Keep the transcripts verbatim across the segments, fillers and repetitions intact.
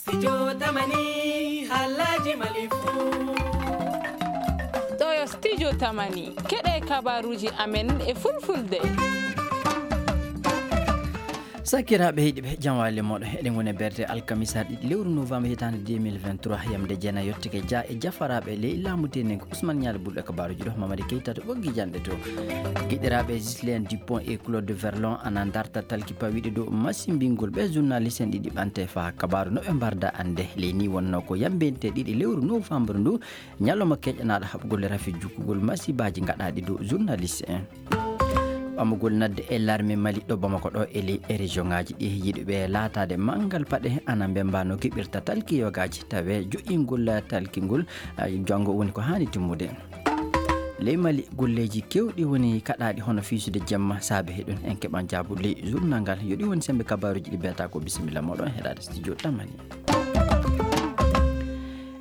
Studio Tamani, haalaaji Mali fuu. Ɗoo yo Studio Tamani, keɗee kabaaruuji amen e Fulfulde. Sakiraaɓe heɗiiɓe, jam waali e mooɗon. Eɗen ngoni e berɗe alkamisa ɗiɗi lewru novembre hitaande deux mille vingt-trois, yamde jeenay yottike Dia e jafaraaɓe ley laamu teeneŋ Ousmane Nialy ɓurɗo e kabaaruuji ɗoo, Mamadi Keita to ɓoggi janɗe to. Giɗiraaɓe Ghislain Dupont e Claude Verlon ana ndarta talki pawiiɗi dow masimbingol ɓee journaliste en ɗiɗi ɓamte faa kabaaru no ɓe mbarda annde. Ley nii wonnoo ko yambinte ɗiɗi lewru novembre ndu, ñalawma keƴanaaɗo haɓugol rafi jukkugol masibaaji gaɗaaɗi dow journaliste en. Ɓamugol nadde e larme Mali ɗo Bamako ɗo e ley e regionŋaaji ɗi, yiɗuɓe laataade manngal paɗe ana mbemba no keɓirta talki yogaaji, tawee joƴƴingol talki ngol, ah, janngo woni ko haani timmude. Ley Mali, golleeji keewɗi woni kaɗaaɗi hono fiisude jemma. Saabe heɗun en keɓan jaabu ley journal ngal. Yo ɗi woni sembe kabaaruuji ɗi mbiyata ko. Bisimilla mooɗon heɗaade Studio Tamani.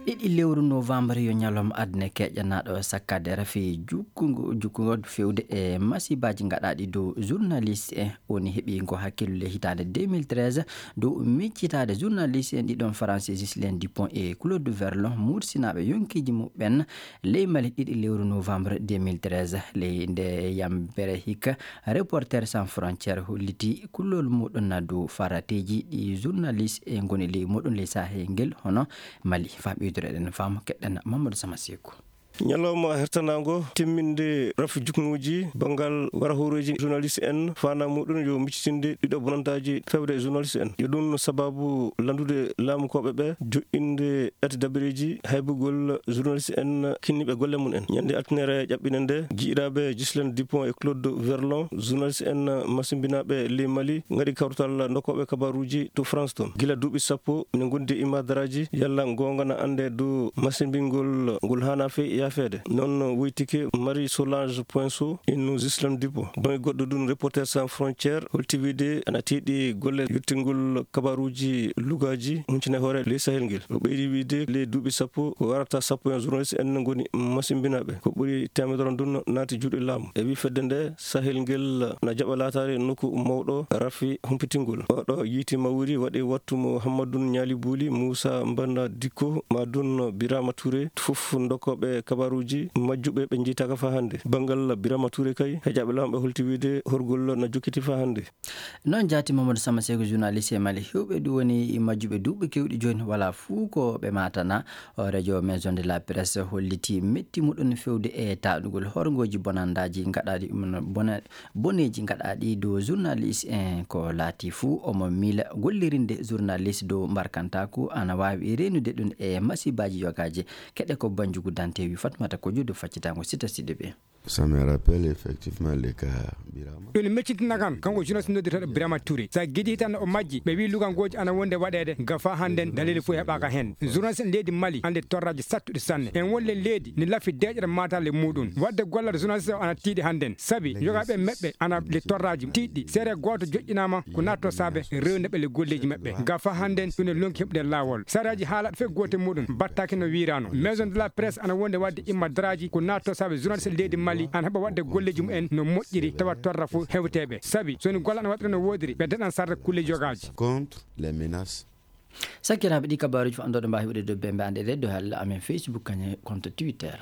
Ɗiɗi lewru novembre yo ñalawma aduna keƴanaaɗo sakkaade rafi jukkungo, jukkungo fewde e masibaaji gaɗaaɗi dow journaliste en. Woni heɓi ngo hakkillu ley hitaande deux mille treize dow miccitaade journaliste en ɗiɗon Faransi, Ghislain Dupont e Claude Verlon, mursinaaɓe yonkiiji muɓɓen ley Mali ɗiɗi lewru novembre deux mille treize. Ley nde yambere hikka, Reporters sans frontières holliti kullol muɗum dow farateeji ɗi journaliste e ngoni ley muɗum ley Sahel ngel hono Mali. Faa ɓeydureɗen faamu, keɗɗen Mamadou Sama Seku. Ñalawma hertanaango timminde rafi jukkuŋuuji banngal warahooreeji journaliste en, faandaare muɗum yo miccitinde ɗiɗo bonandaaji fewde e journaliste en. Yo ɗum sababu lanndude laamukooɓe ɓe joƴƴinde ɗati dabareeji haybugol journaliste en kinniiɓe golle mum en. Ñannde altine ere ƴaɓɓiinde nde, giɗiraaɓe Ghislain Dupont e Claude Verlon, journaliste en masimbinaaɓe ley Mali, ngaɗi kawtal ndokkooɓe kabaaruuji to France toon. Gila duuɓi sappo, ina ngondi e imaadaraaji, yalla ngoonga na annde dow masimbingol ngol haanaa fey yaafeede. Noon woytike Marie Solange Poinso, innu Ghislain Dupont. Bannge goɗɗo ɗum, Reporters sans frontières holti wiyde ana tiiɗi golle yottingol kabaaruuji lugaaji huncine hoore ley Sahel ngel. O ɓeydi wiyde ley duuɓi sappo ko warata sappo en journaliste en ngoni masimbinaaɓe. Ko ɓuri teemedere ɗum naati juuɗe laamu. E wii fedde nde, Sahel ngel na jaɓa laataade nokku mawɗo rafi humpitingol. Oɗo yiiti mawri waɗi wattu mo Hammadun Ñaali Buuli, Muusa Mbanda Dikko, maa ɗum Birama Touré, fof ndokkooɓe kabaaruuji majjuɓe ɓe njiytaaka faa hannde. Banngal Birama Touré kay, heƴaaɓe laamu ɓe holti wiyde horgol na jokkiti faa hannde. Noon jaati Mamadou Sama Seku, journaliste e Mali. Heewɓe ɗum woni majjuɓe duuɓi keewɗi jooni, walaa fuu ko ɓe maatana. Hooreejo Maison de la Presse hollitii metti muɗum fewde e taaɗugol horngooji bonandaaji gaɗaaɗi, bona-, boneeji gaɗaaɗi dow journaliste en. Ko laatii fuu, omo miila gollirinde journaliste dow mbarkantaaku ana waawi reenude ɗum e masibaaji yogaaji. Keɗe ko Banjugu Dante wi Fatmata Kojo dow faccitaango Sita Sidibe. Ça me rappelle effectivement le cas Birama. Ɗum meccitina kan, kanko journaliste nodditeeɗo Birama Touré. So a giɗii tan o majji, ɓe wii lugangooji ana wonde waɗeede, ga faa hannden daliili fof heɓaaka heen. Journaliste en leydi Mali, annde torraaji sattuɗi sanne. En won le leydi, ne lafi deeƴere maataale muɗum. Waɗde gollal journaliste o ana tiiɗi hannden. Sabi, yogaaɓe maɓɓe ana le torraaji tiiɗɗi. Seere gooto joƴƴinaama, ko naatto saabe rewde ɓe le golleeji maɓɓe. Ga faa hannden, ɗum ne lonki heɓude laawol. Sariyaaji haalaaɗi fey gootel muɗum battaaki no wiiraano. Maison de la Presse ana wonde waɗde imma daraaji ko naatto saabe journaliste leydi Mali ana heɓa waɗde golleeji mumen no moƴƴiri tawa torra fof hewteeɓe. Sabi so woni golle ana waɗira no woodiri, ɓe daɗan sarde kulle yogaaji. Contre les menaces. Sakiraaɓe, ɗi kabaaruuji fof anndoɗo mbaawi heɓude dow bembe annde ɗe dow halla amen Facebook kañe compte Twitter.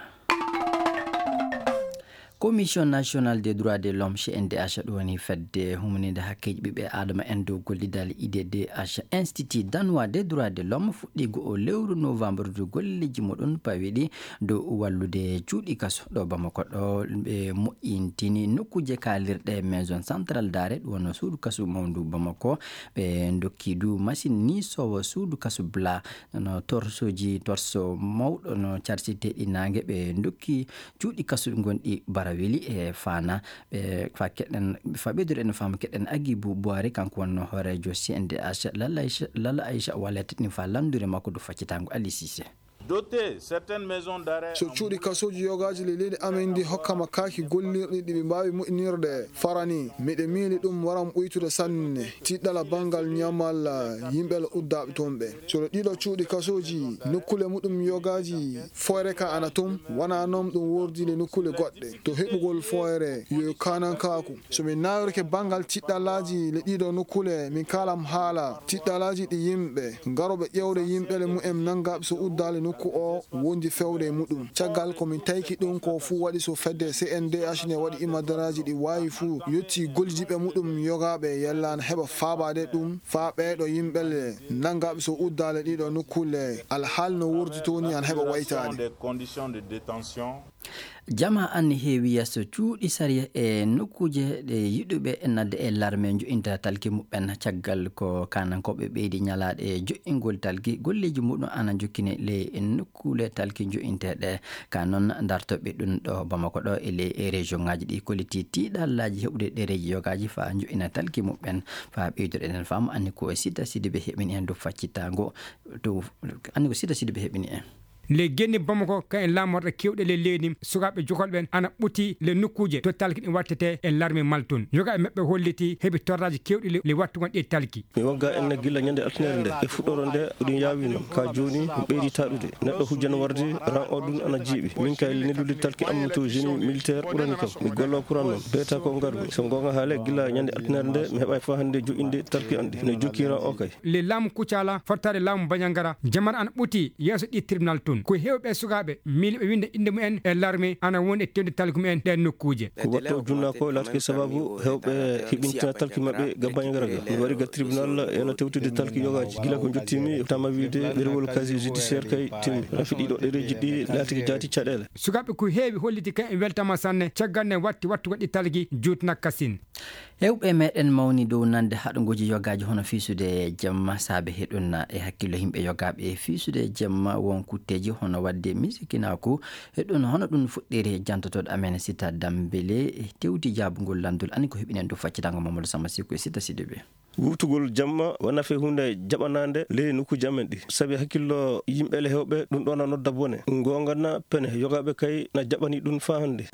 Commission nationale des droits de l'homme, C N D H, ɗum woni fedde humaniinde hakkeeji ɓiɓɓe aadama en dow gollidal I D D H, Institut danois des droits de l'homme, fuɗɗii go'o lewru novembre dow golleeji muɗum pawiiɗi dow wallude cuuɗi kaso ɗo Bamako ɗo. Ɓe moƴƴintini nokkuuje kaalirɗe, maison centrale d'arrêt, ɗum woni suudu kaso mawndu Bamako. Ɓe ndokki du masiŋ niisoowo suudu kaso Bla. No torsooji, torso mawɗo no carsiteeɗi naange, ɓe ndokki cuuɗi kaso gonɗi Baraweli e Faana. Ɓe fa keɗen, fa ɓeydude en faamu keɗen Agibu Buwaari, kanko wonno hooreejo C N D H, Lalla Aïcha, Lalla Aïcha Wallet ni fa lanndure makko dow faccitaango Ali Cissé. Doté, certaines maisons d'arrêt. So cuuɗi kasooji yogaaji ley leydi amen ndi hokkama kaaki gollirɗi ɗi ɓe mbaawi moƴƴinirde fara nii, miɗo miili ɗum waran ɓuytude sanne. Tiɗɗala banngal ñamal yimɓe uddaaɓe toon ɓe. So ɗiɗo cuuɗi kasooji nokkuule muɗum yogaaji, fooyre ka ana toon, wanaa noon ɗum woordi le nokkuule goɗɗe. To heɓugol fooyre, yo kaanankaaku. So min naawirke banngal tiɗɗalaaji le ɗiɗo nokkuule, min kaalam haala tiɗɗalaaji ɗi yimɓe garooɓe ƴeewde yimɓe le mumen nanngaaɓe so uddaali nokku o wondi fewde e muɗum. Caggal ko min tayki ɗum ko fuu waɗi so fedde C N D H ne waɗi imadaraaji ɗi waawi fuu yetti gollidiiɓe muɗum yogaaɓe yalla ana heɓa faabaade ɗum faa ɓeeɗo yimɓe le nanngaaɓe so uddaali ɗiɗo nokkuule alhaali no woordi toon ni ana heɓa waytaade. Des conditions de détention. Jamaa an heewi yeeso cuuɗi sariya e nokkuuje ɗe yiɗuɓe naatde e larme njo'inta talki muɓɓen. Caggal ko kaanankooɓe ɓeydi ñalaade e jo'ingol talki, golleeji muɗum ana njokkini ley nokkuule talki njo'inteeɗe. Ka noon, dartooɓe ɗum ɗo Bamako ɗo e ley e région ŋaaji ɗi kolliti tiiɗallaaji heɓude ɗereeji yogaaji faa njo'ina talki muɓɓen, faa ɓeydude ɗen faamu. Anni ko e Sita Sidibe heɓini en dow faccitaango, to, anni ko Sita Sidibe heɓini en. Ley genni Bamako, ka en laamorɗe keewɗe ley leydi, sukaaɓe jokolɓe ɓen ana ɓuti ley nokkuuje to talki ɗin wattetee e larme maltun. Yogaaɓe maɓɓe holliti heɓi torraaji keewɗi ley, ley wattugol ɗii talki. Mi waggaa en gilla ñande altinere nde. E fuɗɗoore nde, ɗum yaawi non. Ka jooni, mi ɓeydi taɗude. Neɗɗo hujjana warde, ran o ɗum ana jiiɓi. Min kay, neldude talki am to génie militaire ɓurani kam. Mi golloo kuran non. Beeta ko ngarmi. So goonga haale, gilla ñande altinere nde, mi heɓaay faa hannde jo'inde talki an ɗi. No jokki ran o kay. Ley laamu Kucala, fottaade laamu Bañangara, jamanu ana ɓuti yeeso ɗii tribunal tun. Ko heewɓe e sukaaɓe miiliiɓe winnde innde mumen e larme ana woni e tewde talki mumen ɗeen nokkuuje. Ko waɗto junna ko laatike sababu heewɓe hiɓintina talki maɓɓe ga Bañangara ga. Mi wari ga tribunal ena tewtude talki yogaaji. Gila ko njottiimi, tama wiide ɗerewol casier judiciaire kay timmi. Rafi ɗiɗo ɗereeji ɗi laatike jaati caɗeele. Sukaaɓe ko heewi holliti kay en weltama sanne, caggal nde watti wattugo ɗi talki juutna kasin. Heewɓe meɗen mawni dow nande haɗugooji yogaaji hono fiisude jemma, saabe heɗun e hakkillo yimɓe yogaaɓe e fiisude jemma won kutteeji hono waɗde misikinaaku. Heɗun hono ɗun fuɗɗiri jantotooɗo amen Sita Dambele tewti jaabugol lanndol ani ko heɓinen dow faccitango Mamadou Sama Sikku e Sita Sidibe. Wuurtugol jamma wonaa fay huunde jaɓanaande ley nokkuuji amen ɗi. Sabi hakkillo yimɓe le heewɓe, ɗum ɗoo na nodda bone. Goonga na pene, yogaaɓe kay na jaɓanii ɗum faa hannde.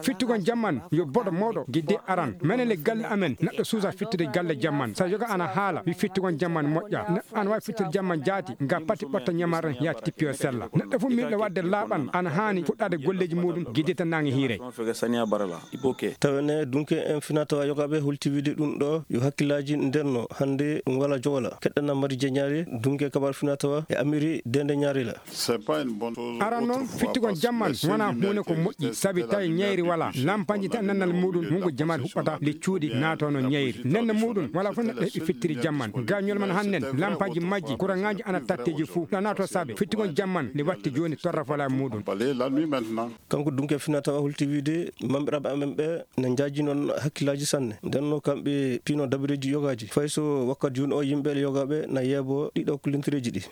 Fittugol jamma yo boɗo mawɗo gidde aran. Menen le galle amen, neɗɗo suusaa fittude galle jamma. So yoga ana haala, wi fittugol jamma moƴƴaa. Neɗɗo ana waawi fittude jamma jaati, nga pati ɓotta ñamaaren yaa tippi o sella. Neɗɗo fof miiluɗo waɗde laaɓan ana haani fuɗɗaade golleeji muuɗum giddita naange hiiray. Tawa ne, dunke en finaa tawaa yogaaɓe holti wiide ɗum ɗoo yo hakkillaaji ndenno hannde ɗum walaa jowla. Keɗɗana Mari Jeñaari, dunke kabar finaa tawaa e Amiri Dende Ñaari la. Aran noon, fittugol jamma wonaa huunde ko moƴƴi, sabi tawi ñayri walaa. Lampaji tan nannal muuɗum, hunngo jamaat huɓɓata, le cuuɗi naatono ñayri. Nenne muuɗum, walaa fof neɗɗo heɓi fittiri jamma. Ga ñolman hannen, lampaji majji, kuraŋaaji ana tatteeji fuu. Ɗo naato saabe, fittugol jamma, le watti jooni torra fola muuɗum. Kanko dunke finaa tawaa holti wiide, mammiraɓe amen ɓe na njaaji noon hakkillaaji sanne. Nden no kamɓe piino dabireeji yogaaji. Fay so wakkati jooni o yimɓe le yogaaɓe na yeebo ɗiɗo ko lintireeji ɗi.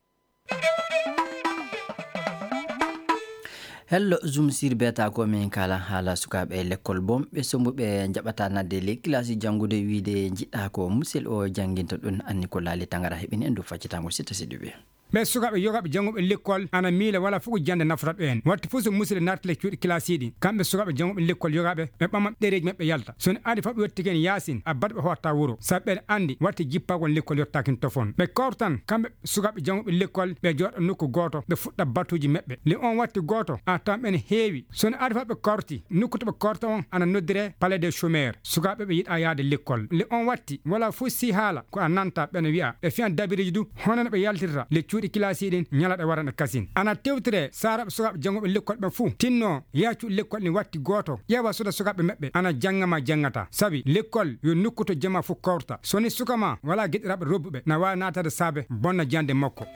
Hello, Zoom sir beta ko min kala haala sukaaɓe lekkol bonɓe sombuɓe njaɓata nadde ley kilasi janngude wiide njiɗɗa ko musel o jannginta ɗum anni ko laali tangara heɓini en dow faccitango sitta siɗuɓe. Ɓee sukaaɓe yogaaɓe jannguɓe lekkol ana miila walaa fof ko jannde nafata ɓeen. Waɗti fof so musidɓe naati le cuuɗi kilaasiiɗi, kamɓe sukaaɓe jannguɓe lekkol yogaaɓe, ɓe ɓama ɗereeji maɓɓe yalta. So ne adii fof ɓe yottike en yaasin, a baɗa ɓe hotta wuro. Sabi ɓeɗe anndi waɗti jippagol lekkol yottaakin tofoon. Ɓe kawtan kamɓe sukaaɓe jannguɓe lekkol, ɓe jooɗa nokku gooto, ɓe fuɗɗa batuuji maɓɓe. Le on waɗti gooto, a tawan ɓe ne heewi. So ne adii fof ɓe kawti, nokku to ɓe kawta on ana noddiree Palais des Chômeurs. Sukaaɓe ɓe yiɗaa yahde lekkol. Le on waɗti, walaa fof si haala, ko a nanta ɓe no wi'a. Ɓe fiyan dabireeji du, hono no ɓe yaltirta le cuuɗi kilaasiiɗi ɗin ñalaaɗe waranɗe kasin. Ana tewtire saaraaɓe sukaaɓe jannguɓe lekkol ɓen fuu. Tinno, yaha cuuɗi lekkol ɗin waɗti gooto. Ƴeewa suuda sukaaɓe maɓɓe, ana jannga ma janngataa. Sabi lekkol yo nokku to jamaa fof kawrta. So ni suka ma walaa geɗiraaɓe robbuɓe, na waawi naataade saabe bonna jannde makko.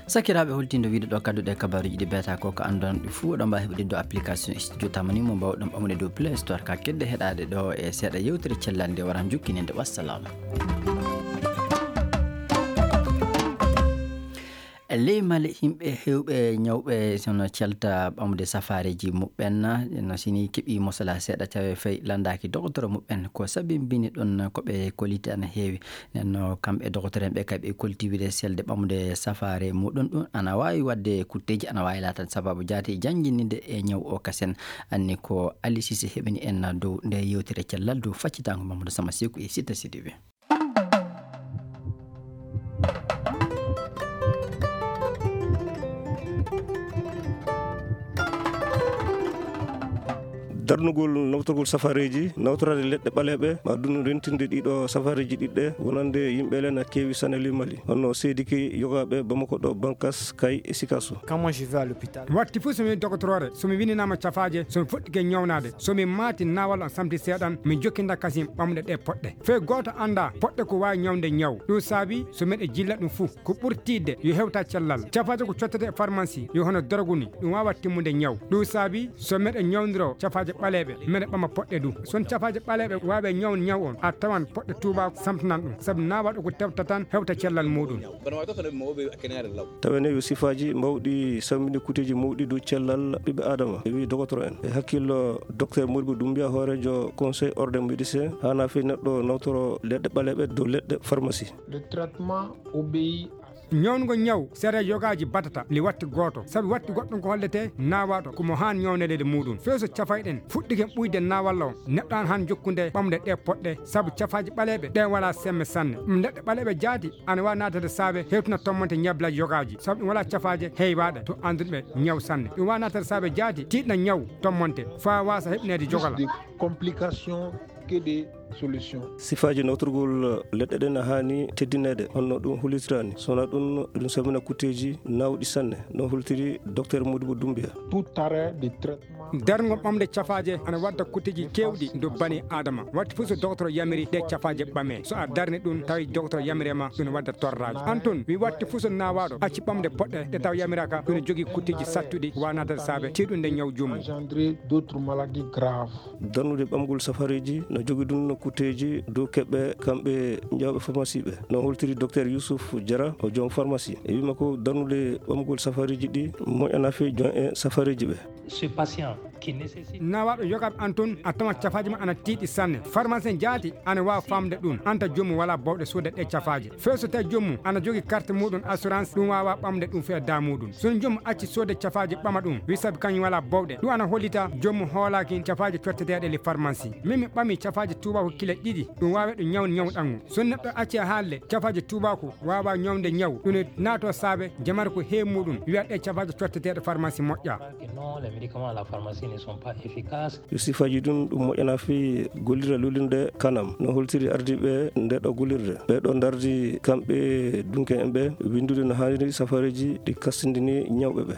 Sakiraaɓe, holtindo wiide ɗo kadduɗe kabaaruuji ɗi beeta ko, ko anndon ɗi fuu, oɗon mbaawi heɓude dow application Studio Tamani mo mbaawɗon ɓamude dow Play Store, ka kedde heɗaade ɗo e seeɗa yewtere cellal nde waran jokkininde. Wassalam. Ley Mali, yimɓe heewɓe ñawɓe sono calta ɓamde safaareeji muɓɓen, no sini keɓi mosala seeɗa tawi fay lanndaaki dogotoro muɓɓen. Ko sabimbini ɗon ko ɓe koliti ana heewi. Nden no kamɓe dogotoro en ɓe kay ɓe kolti wiide selde ɓamde safaare muɗum ɗum ana waawi waɗde kutteeji, ana waawi laataade sababu jaati janngininde e ñaw o kasen. Anni ko Ali Sise heɓini en dow nde yewtere cellal dow faccitaango Mamadou Sama Seku e Sita Sidibé. Darnugol nawtorgol safareeji, nawtoraade leɗɗe ɓaleeɓe, maa ɗum rentinde ɗiɗo safareeji ɗiɗɗe, wonande yimɓe leen a keewi sanne ley Mali, hono Seedike yogaaɓe Bamako ɗo, Bankas, Kay e Sikaso. Quand moi je vais à l'hôpital. Watti fuu so mi dogotoroore, so mi winndinaama cafaaje, so mi fuɗɗike ñawnaade, so mi maati naawal on samti seeɗan, mi jokkinda kasin ɓamde ɗe poɗɗe. Fay gooto anndaa poɗɗe ko waawi ñawnde ñaw. Ɗum saabi so miɗo jilla ɗum fuu, ko ɓuri tiiɗde yo hewta cellal. Cafaaje ko cottetee e farmasi, yo hono dorogu ni, ɗum waawaa timmude ñaw. Ɗum saabi so miɗo ñawndiro cafaaje ɓaleeɓe, miɗo ɓama poɗɗe du. So cafaaje ɓaleeɓe waawii ñaw ñaw on, a tawan poɗɗe tuubaaku samtanan ɗum, sabu naawaaɗo ko tewta tan hewta cellal muuɗum. Tawee ne yo sifaaji mawɗi sammini kuteeji mawɗi dow cellal ɓiɓɓe Aadama, e wii dogotoro en. E hakkillo Docteur Modibo Doumbia, hooreejo Conseil Ordre des Médecins, haanaa fii neɗɗo nawtoro leɗɗe ɓaleeɓe dow leɗɗe farmasi. Le traitement obéit. Ñawngo ñaw, sere yogaaji batata li watti gooto, sabi watti goɗɗum ko holletee naawaaɗo ko mo haan ñawneede muuɗum. Fay so cafayɗen fuɗɗike ɓuyde naawalla on, neɗɗo aan haan jokkunde ɓamde ɗe poɗɗe, sabu cafaaji ɓaleeɓe ɗe walaa semme sanne. Ɗum leɗɗe ɓaleeɓe jaati ana waawi naatade saabe hewtina tommonte ñablaaji yogaaji, sabu ɗum walaa cafaaje heewaaɗe to annduɓe ñaw sanne. Ɗum waawi naatade saabe jaati tiiɗna ñaw tommonte faa waasa heɓineede jogala. Plus de complications que de solutions. Sifaaji nawtorgol leɗɗe ɗen haani teddineede, hono ɗum hollitiraani. So wanaa ɗum, ɗum sammina kutteeji naawɗi sanne, no hollitiri Docteur Modibo Doumbia. Tout arrêt de traitement. Darngo ɓamde cafaaje ana wadda kutteeji keewɗi dow banii Aadama. Watti fuu so dogotoro yamiri ɗe cafaaje ɓamee. So a darni ɗum, tawi dogotoro yamiri ma, ɗum wadda torraaji. Aan tun, wi watti fuu so naawaaɗo acci ɓamde poɗɗe ɗe taw yamiraaka, ɗum jogii kutteeji sattuɗi, waanaade saabe tiiɗunde ñaw jommu. Engendrer d'autres maladies graves. Darnude ɓamgol safareeji no jogii ɗum no kutteeji dow keɓɓe kamɓe ñawɓe farmasi ɓe. No holtiri Docteur Youssouf Diarra, o joom farmasi. E wii makko darnude ɓamgol safareeji ɗi moƴƴanaa fii joom e safareeji ɓe. Ce patient qui nécessite. Naawaaɗo yogaaɓe aan tun, a tawan cafaaji ma ana tiiɗi sanne. Farmasi jaati ana waawi faamde ɗum, anta jommu walaa bawɗe soodde ɗe cafaaje. Fay so tawi jommu ana jogii karte muuɗum assurance, ɗum waawaa ɓamde ɗum fii addaa muuɗum. So jommu acci soodde cafaaje ɓama ɗum, wi sabi kañum walaa bawɗe. Ɗum ana hollita jommu hoolaaki cafaaje cotteteeɗe ley farmasi. Min mi ɓami cafaaje tuubaaku kile ɗiɗi, ɗum waawee ɗum ñaw ñawɗanngu. So neɗɗo acci haalde cafaaje tuubaaku waawaa ñawde ñaw, ɗum ne naatoo saabe jamare ko heewi muuɗum, wiya ɗe cafaaje cotteteeɗe farmasi moƴƴaa. Que non, les médicaments à la pharmacie ne sont pas efficaces. Yo sifaaji ɗum, ɗum moƴƴanaa fii gollirde luulirde kanam. No holtiri ardiiɓe ndee ɗoo gollirde. Ɓee ɗoo ndardi kamɓe dunke en ɓe winndude no haaniri safareeji ɗi kastindini ñawɓe ɓe.